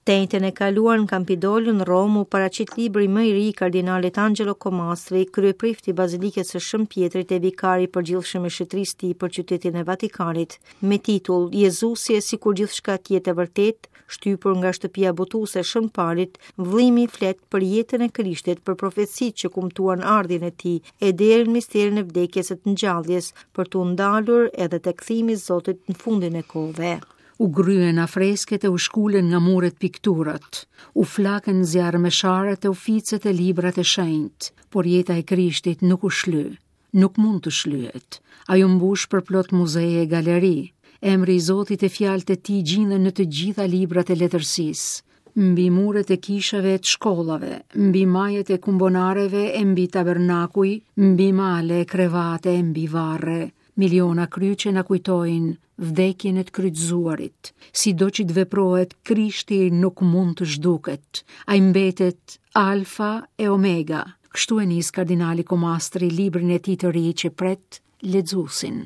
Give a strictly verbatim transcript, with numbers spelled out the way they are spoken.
Të enjten e kaluar në Campidoglio në Romë u paraqit libri më i ri i kardinalit Angelo Comastri, kryeprift i Bazilikës së Shën Pjetrit e vikari i përgjithshëm i Shëtrisë tij për qytetin e Vatikanit, me titull Jezusi e sikur gjithçka të jetë e vërtetë, shtypur nga shtëpia botuese e Shën Palit, vëllimi flet për jetën e Krishtit, për profecitë që kumtuan ardhjen e tij e deri në misterin e vdekjes e të ngjalljes, për t'u ndalur edhe te kthimi i Zotit në fundin e kohëve. U gryen afresket e u shkulen nga muret pikturat, u flaken zjarrmesharët e u ficet e librat e shenjtë, por jeta e Krishtit nuk u shly, nuk mund të shlyhet. Ajo mbush përplot muzeje e galeri. Emri i Zotit e fjalët e tij gjinden në të gjitha librat e letërsisë, mbi muret e kishave e të shkollave, mbi majet e kumbonareve e mbi tabernakuj, mbi male e krevate e mbi varre. Miliona kryqe na kujtojnë vdekjen e të kryqëzuarit. Sido që të veprohet, Krishti nuk mund të zhduket. Ai mbetet Alfa e Omega. Kështu e nis kardinali Comastri librin e tij të ri që pret lexuesin.